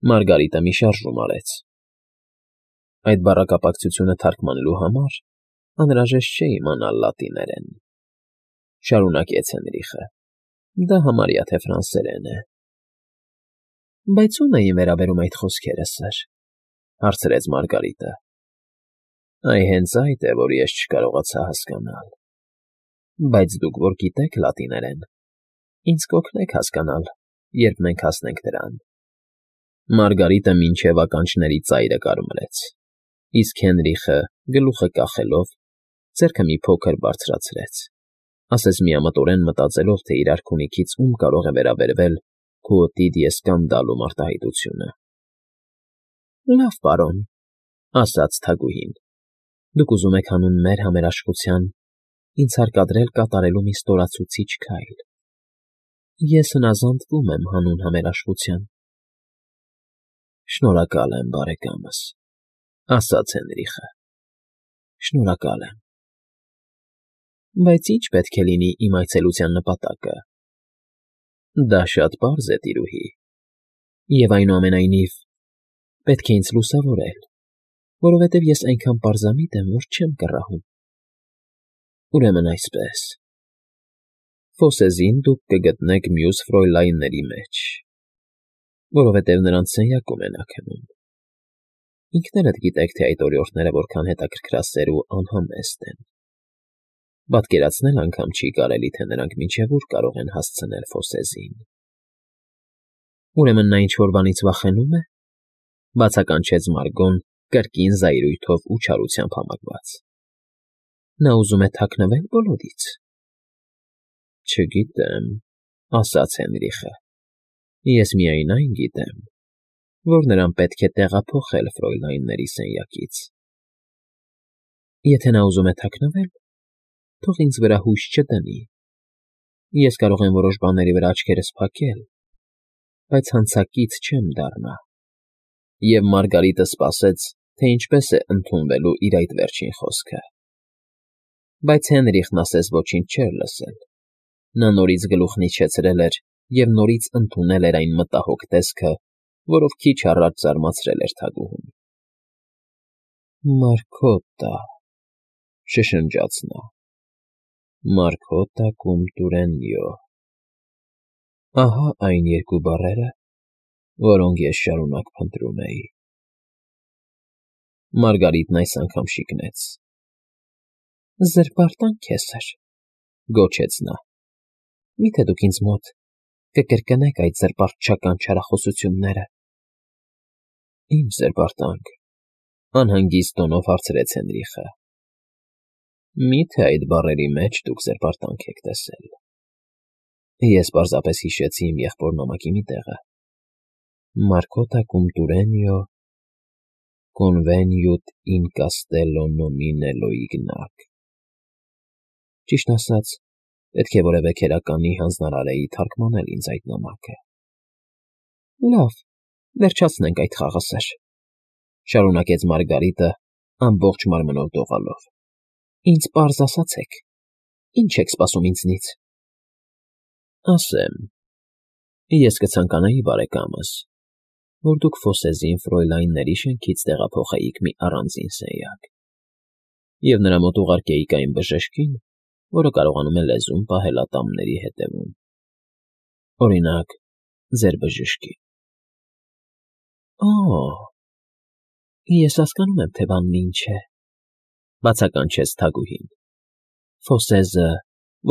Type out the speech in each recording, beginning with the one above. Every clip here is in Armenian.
Մարգարիտը մի շարժում արեց։ Այդ բառակապակցությունը թարգմանելու համար անհրաժեշտ չէ իմանալ լատիներեն, շարունակեց Հենրիխը։ Դա համարյա թե ֆրանսերեն է։ Բայց ո՞ւմ էին վերաբերում այդ խոսքերը, սըր, հարցրեց Մարգարիտը։ Այ հենց այդ է, որ ես չկարողացա հասկանալ։ Բայց դուք որ գիտեք լատիներեն, ինձ կօգնեք հասկանալ, երբ մենք հասնենք դրան։ Մարգարիտը մինչև ականջների ծայրը կարմրեց, իսկ Հենրիխը, գլուխը կախելով, ձեռքը մի փոքր բարձրացրեց, ասես միամտորեն մտածելով, թե իր արքունիքից ում կարող է վերաբերվել Քուոտիդիե սկանդալու մարտահայտությունը։ Լավ, պարոն, ասաց թագուհին, դուք ուզում եք հանուն մեր համերաշխության ինձ հարկադրել կատարելու մի ստորացուցիչ քայլ։ Ես հնազանդվում եմ հանուն համերաշխության։ Շնորհակալ եմ, բարեկամս, ասաց Հենրիխը։ Շնորհակալ եմ։ Բայց ի՞նչ պետք է լինի իմ այցելության նպատակը։ Դա շատ պարզ է, տիրուհի, և այնուամենայնիվ պետք է ինձ լուսավորել, որովհետև ես այնքան պարզամիտ եմ, որ չեմ կռահում։ Ուրեմն այսպես. Ֆոսեզին դուք կգտնեք մյուս ֆրոյլայնների մեջ, որովհետև նրանց սենյակում են նա քնում։ Ինքներդ գիտեք, թե այդ օրիորդները որքան հետաքրքրասեր ու անհամեստ են։ Պատկերացնել անգամ չի կարելի, թե նրանք մինչև ուր կարող են հասցնել Ֆոսեզին։ Ուրեմն նա ինչ-որ բանից վախենու՞մ է, բացականչեց Մարգոն կրկին զայրույթով ու չարությամբ համակված։ Նա ուզում է թաքնվել բոլորից։ Չգիտեմ, ասաց Հենրիխը։ Ես միայն այն գիտեմ, որ նրան պետք է տեղափոխել ֆրոյլայնների սենյակից։ Եթե նա ուզում է թաքնվել, թող ինձ վրա հույս չդնի։ Ես կարող եմ որոշ բաների վրա աչքերս փակել, բայց հանցակից չեմ դառնա։ Եվ Մարգարիտը սպասեց, թե ինչպես է ընդունվելու իր այդ վերջին խոսքը։ Բայց Հենրիխն ասես ոչինչ չէր լսել։ Նա նորից գլուխն իջեցրել էր և նորից ընդունել էր այն մտահոգ տեսքը, որով քիչ առաջ զարմացրել էր թագուհուն։ Մարգոտա, շշնջաց նա, Մարգոտա կում տուրենյո։ Ահա այն երկու բառերը, որոնք ես շարունակ փնտրում էի։ Մարգարիտն այս անգամ շիկնեց։ Զրպարտանք է, սըր, գոչեց նա։ Մի՞թե դուք ինձ մոտ կկրկնեք այդ զրպարտչական չարախոսությունները։ Իմ զրպարտանք, անհանգիստ տոնով հարցրեց Հենրիխը։ Մի՞թե այդ բառերի մեջ դուք զրպարտանք եք տեսել։ Ես պարզապես հիշեցի իմ եղբոր նամակի մի տեղը. Մարգոտա cum Turenio conveniut in castello nominello ignac։ Ճիշտ ասած, պետք է որևէ քերականի հանձնարարեի թարգմանել ինձ այդ նամակը։ Լավ, վերջացնենք այդ խաղը, սըր, շարունակեց Մարգարիտը ամբողջ մարմնով դողալով։ Ինձ պարզ ասացեք, ինչ եք սպասում ինձնից։ Ասեմ, ես կցանկանայի, բարեկամս, որ դուք Ֆոսեզին ֆրոյլայնների շենքից տեղափոխեիք մի առանձին սենյակ, և նրա մոտ ուղարկեիք այն բժշկին, որը կարողանում է լեզուն պահել ատամների ետևում։ Օրինակ, ձեր բժշկին։ Ես հասկանում եմ, թե բանն ինչ է, բացականչեց թագուհին։ Ֆոսեզը,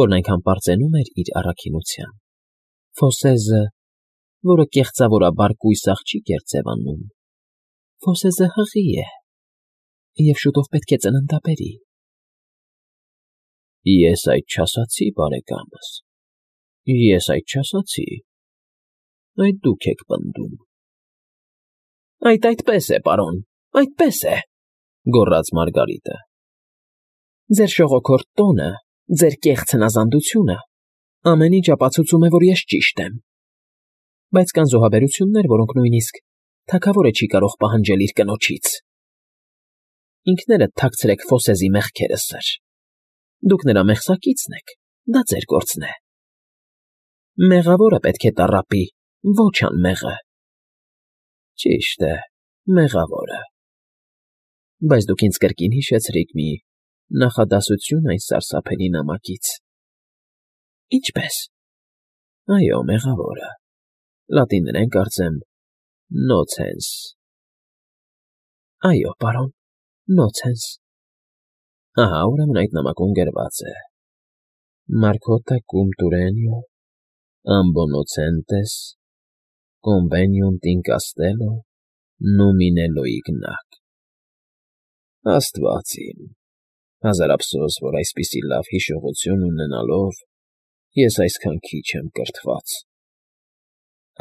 որն այնքան պարծենում էր իր առաքինությամբ, Ֆոսեզը, որը կեղծավորաբար կույս աղջիկ էր ձևանում, Ֆոսեզը հղի է, և շուտով պետք է ծննդաբերի։ Ես այդ չասացի, բարեկամս, ես այդ չասացի, այդ դուք եք պնդում։ Այդպես է, պարոն, այդպես է, գոռաց Մարգարիտը։ Ձեր շողոքորթ տոնը, ձեր կեղծ հնազանդությունը ամեն ինչ ապացուցում է, որ ես ճիշտ եմ։ Բայց կան զոհաբերություններ, որոնք նույնիսկ թագավորը չի կարող պահանջել իր կնոջից։ Ինքներդ թաքցրեք Ֆոսեզի մեղքերը, սըր։ Դուք նրա մեղսակիցն եք, դա ձեր գործն է։ Մեղավորը պետք է տառապի, ոչ անմեղը։ Ճիշտ է, մեղավորը։ Բայց դուք ինձ կրկին հիշեցրիք մի նախադասություն այս սարսափելի նամակից։ Ինչպե՞ս։ Այո, մեղավորը։ Լատիներեն կարծեմ nocens։ Այո, պարոն, nocens։ Ահա, ուրեմն այդ նամակում գրված է. Marcota cum Turenio, ambo nocentes, conveniunt in castello, numine ignac։ Աստված իմ, հազար ափսոս, որ այսպիսի լավ հիշողություն ունենալով ես այսքան քիչ եմ կրթված։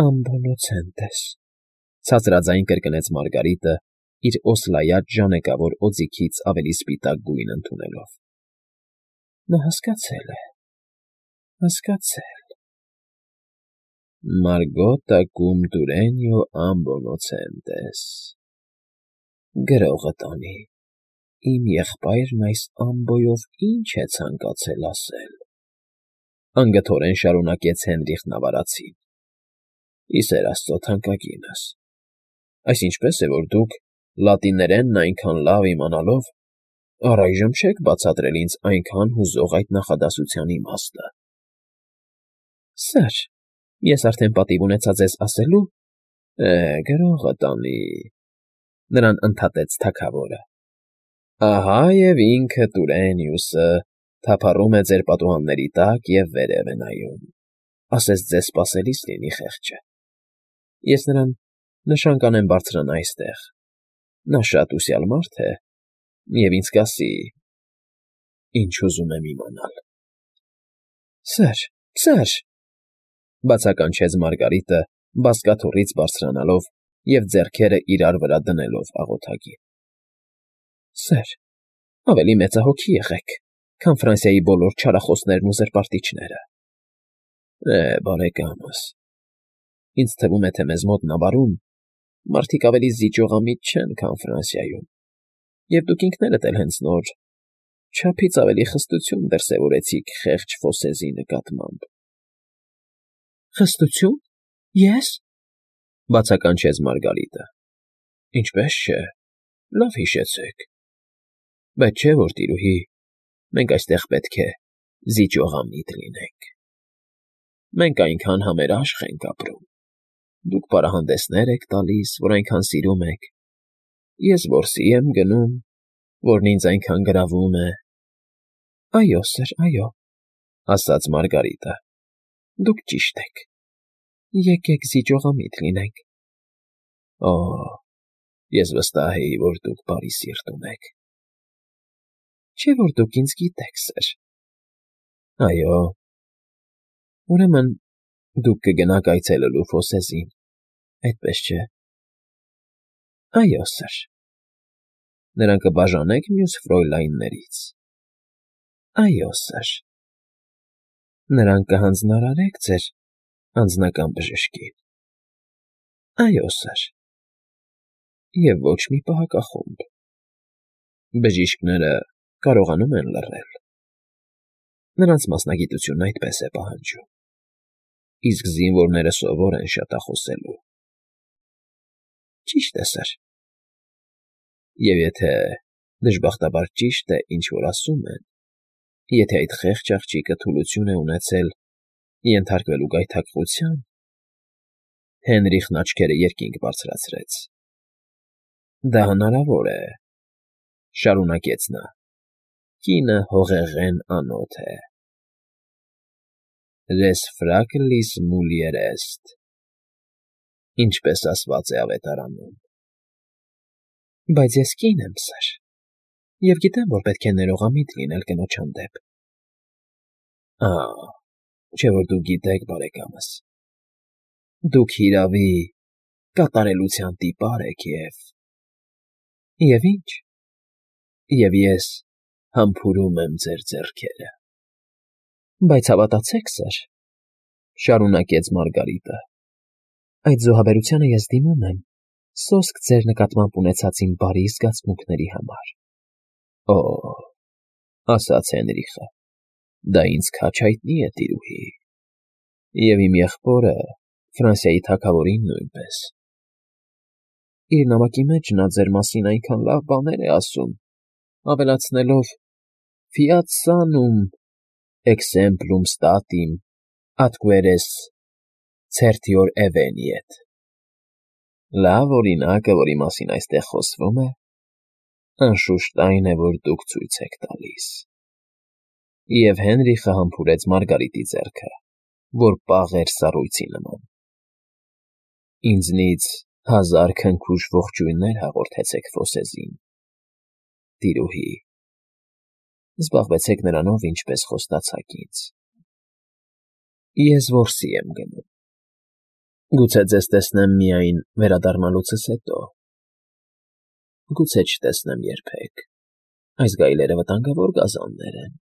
Ambo nocentes, ցածրաձայն կրկնեց Մարգարիտը, իր օսլայած ժանեկավոր օձիքից ավելի սպիտակ գույն ընդունելով։ Նա հասկացել է, հասկացել։ Margota cum Turenio ambo nocentes։ Գրողը տանի, իմ եղբայրն այս ամբոյով ինչ է ցանկացել ասել։ Անգթորեն շարունակեց Հենրիխն ավարացին։ Իսեր Աստծո թանկագինս, այս ինչպես է, որ դուք լատիներենն այնքան լավ իմանալով, առայժմ չեք բացատրել ինձ այնքան հուզող այդ նախադասության իմաստը։ Սըր, ես արդեն պատիվ ունեցա ձեզ ասելու։ Գրողը տանի, նրան ընդհատեց թագավորը։ Ահա և ինքը Տուրենիուսը թափառում է ձեր պատուհանների տակ և վերև է նայում, ասես ձեզ սպասելիս լինի խեղճը։ Ես նրան նշան կանեմ բարձրանա այստեղ։ Նա շատ ուսյալ մարդ է, և ինձ կասի, ինչ ուզում եմ իմանալ։ Սըր, բացականչեց Մարգարիտը, բազկաթոռից բարձրանալով և ձեռքերը իրար վրա դնելով աղոթագին։ Սըր, ավելի մեծահոգի եղեք, քան Ֆրանսիայի բոլոր չարախոսներն ու զրպարտիչները։ Բարեկամս, ինձ թվում է, թե մեզ մոտ նավարում մարդիկ ավելի զիջողամիտ չեն, քան Ֆրանսիայում, և դուք ինքներդ էլ հենց նոր չափից ավելի խստություն դրսևորեցիք խեղճ Ֆոսեզի նկատմամբ։ Խստությո՞ւն։ Ե՞ս։ Բացականչեց Մարգարիտը։ Ինչպես չէ, լավ հիշեցեք։ Բայց չէ՞ որ, տիրուհի, մենք այստեղ պետք է զիջողամիտ լինենք։ Մենք այնքան համերաշխ ենք ապրում։ Դուք պարահանդեսներ եք տալիս, որ այնքան սիրում եք, ես որսի եմ գնում, որն ինձ այնքան գրավում է։ Այո, սըր, այո, ասաց Մարգարիտը, դուք ճիշտ եք։ Եկեք զիջողամիտ լինենք։ Ես վստահ էի, որ դուք բարի սիրտ ունեք։ Չէ՞ որ դուք ինձ գիտեք, սըր։ Այո։ Ուրեմն դուք կգնաք այցելելու Ֆոսեզին, այդպես չէ։ Այո, սըր։ Նրան կբաժանեք մյուս ֆրոյլայններից։ Այո, սըր։ Նրան կհանձնարարեք ձեր անձնական բժշկին։ Այո, սըր։ Եվ ոչ մի պահակախումբ։ Բժիշկները կարողանում են լռել։ Նրանց մասնագիտությունն այդպես է պահանջում, իսկ զինվորները սովոր են շատախոսելու։ Ճիշտ է, սըր։ Եվ եթե դժբախտաբար ճիշտ է, ինչ որ ասում են, եթե այդ խեղճ աղջիկը թուլություն է ունեցել ենթարկվելու գայթակղության, Հենրիխն աչքերը երկինք բարձրացրեց։ Դա հնարավոր է, շարունակեց նա, կինը հողեղեն անոթ է։ Res fragilis mulier est, ինչպես ասված է ավետարանում։ Բայց ես կին եմ, սըր, և գիտեմ, որ պետք է ներողամիտ լինել կնոջ հանդեպ։ Չէ՞ որ դուք գիտեք, բարեկամս, դուք հիրավի կատարելության տիպար եք և ինչ, և ես համբուրում եմ ձեր ձեռքերը։ Բայց հավատացեք, սըր, շարունակեց Մարգարիտը, այդ զոհաբերությանը ես դիմում եմ սոսկ ձեր նկատմամբ ունեցած իմ բարի զգացմունքների համար։ Ասաց Հենրիխը, դա ինձ քաջ հայտնի է, տիրուհի, և իմ եղբորը Ֆրանսիայի թագավորին նույնպես։ իր նամակի մեջ նա ձեր մասին այնքան լավ բաներ է ասում, ավելացնելով. «Fiat sanum exemplum statim atqueres certior eveniet»։ Լավ օրինակը, որի մասին այստեղ խոսվում է, անշուշտ այն է, որ դուք ցույց եք տալիս։ Եվ Հենրիխը համբուրեց Մարգարիտի ձեռքը, որ պաղ էր սառույցի նման։ Ինձնից 1000 քնքուշ ողջույններ հաղորդեցեք Ֆոսեզին, տիրուհի, զբաղվեցեք նրանով, ինչպես խոստացաք ինձ։ Ես որսի եմ գնում։ Գուցե ձեզ տեսնեմ միայն վերադառնալուցս հետո։ Գուցե չտեսնեմ երբեք, այս գայլերը վտանգավոր գազաններ են։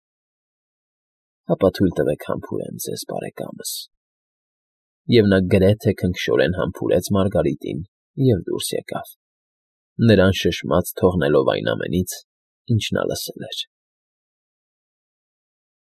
Հապա թույլ տվեք համբուրեմ ձեզ, բարեկամս։ Եվ նա գրեթե քնքշորեն համբուրեց Մարգարիտին և դուրս եկավ, նրան շշմած թողնելով այն ամենից, ինչ նա լսել էր։